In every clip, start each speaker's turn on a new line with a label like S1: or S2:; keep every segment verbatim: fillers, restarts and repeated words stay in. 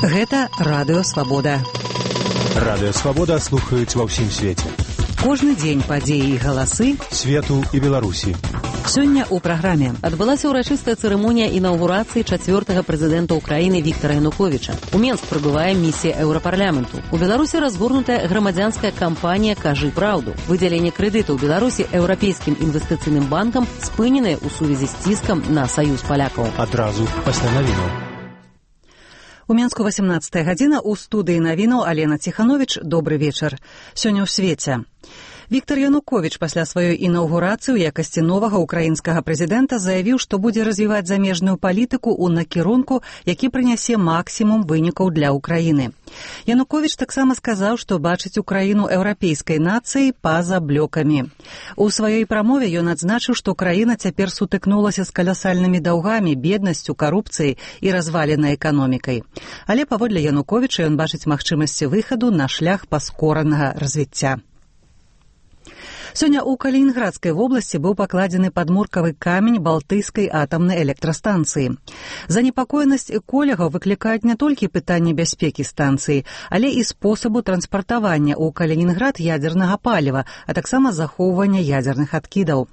S1: Гэта Радыё Свабода.
S2: Радыё Свабода слухаюць ва ўсім свеце.
S1: Кожны дзень падзеі і галасы
S2: свету і Беларусі.
S1: Сёння ў праграме адбылася ўрачыстая цырымонія інаўгурацыі чацвёртага прэзідэнта Украіны Віктара Януковіча. У Менск прыбывае місія Еўрапарламенту. У Беларусі разгорнутая грамадзянская кампанія «Кажы праўду». Выдзяленне крэдытаў Беларусі Еўрапейскім інвестыцыйным банкам спыненае ў сувязі з ціскам на саюз палякаў.
S2: Адразу пасля навінаў.
S1: У Менску васямнадцатая гадзіна, у студыі навінаў Алена Ціхановіч. Добры вечар. Сёння ў свеце. Віктар Януковіч пасля сваёй інаўгурацыі ў якасці новага украінскага прэзідэнта заявіў, што будзе развіваць замежную палітыку ў накірунку, які прынясе максімум вынікаў для Украіны. Януковіч таксама сказаў, што бачыць Украіну еўрапейскай нацыяй па-за блёкамі. У сваёй прамове ён адзначыў, што краіна цяпер сутыкнулася з каласальнымі даўгамі, беднасцю, карупцыяй і разваленай эканомікай. Але паводле Януковіча ён бачыць магчымасці выхаду на шлях паскоранага развіцця. Сёння ў Калінінградскай вобласці быў пакладзены падмуркавы камень балтыйскай атамнай электрастанцыі. Занепакоенасць эколагаў выклікаюць не толькі пытанні бяспекі станцыі, але і спосабу транспартавання ў Калінінград ядзернага паліва, а таксама захоўвання ядзерных адкідаў.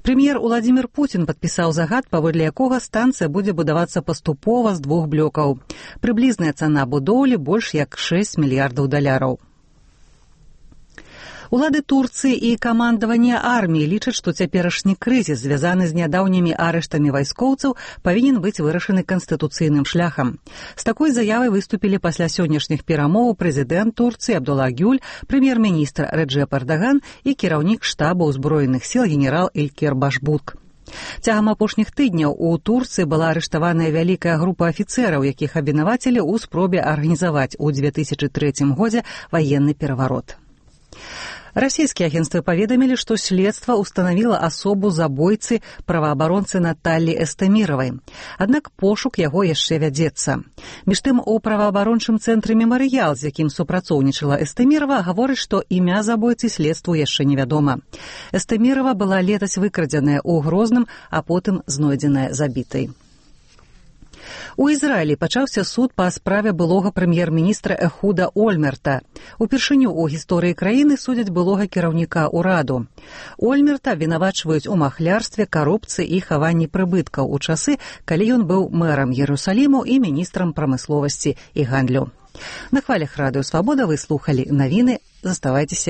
S1: Прэм'ер Уладзімір Пуцін падпісаў загад, паводле якога станцыя будзе будавацца паступова з двух блёкаў. Прыблізная цана будоўлі больш як шэсць мільярдаў даляраў. Улады Турцыі і камандаванне арміі лічаць, што цяперашні крызіс, звязаны з нядаўнімі арыштамі вайскоўцаў, павінен быць вырашаны канстытуцыйным шляхам. З такой заявай выступілі пасля сённяшніх перамоў прэзідэнт Турцыі Абдулла Гюль, прэм'ер-міністр Реджеп Эрдаган і кіраўнік штаба ўзброеных сіл генерал Ількер Башбург. Цягам апошніх тыдняў у Турцыі была арыштаваная вялікая група афіцэраў, якіх абвінавацілі ў спробе арганізаваць у две тысячы трэцім годзе ваенны пераварот. Расійскія агенцтвы паведамілі, што следства ўстанавіла асобу забойцы праваабаронцы Наталлі Эстэміравай. Аднак пошук яго яшчэ вядзецца. Між тым, у праваабарончым цэнтры «Мемарыял», з якім супрацоўнічала Эстэмірава, гаворыць, што імя забойцы следству яшчэ невядома. Эстэмірава была летась выкрадзеная ў Грозным, а потым знойдзеная забітай. У Ізраілі пачаўся суд па справе былога прэм'ер-міністра Эхуда Ольмерта. Упершыню ў гісторыі краіны судзяць былога кіраўніка ўраду. Ольмерта вінавачваюць у махлярстве, карупцыі і хаванні прыбыткаў у часы, калі ён быў мэрам Ерусаліму і міністрам прамысловасці і гандлю. На хвалях Радыё Свабода вы слухалі навіны. Заставайцеся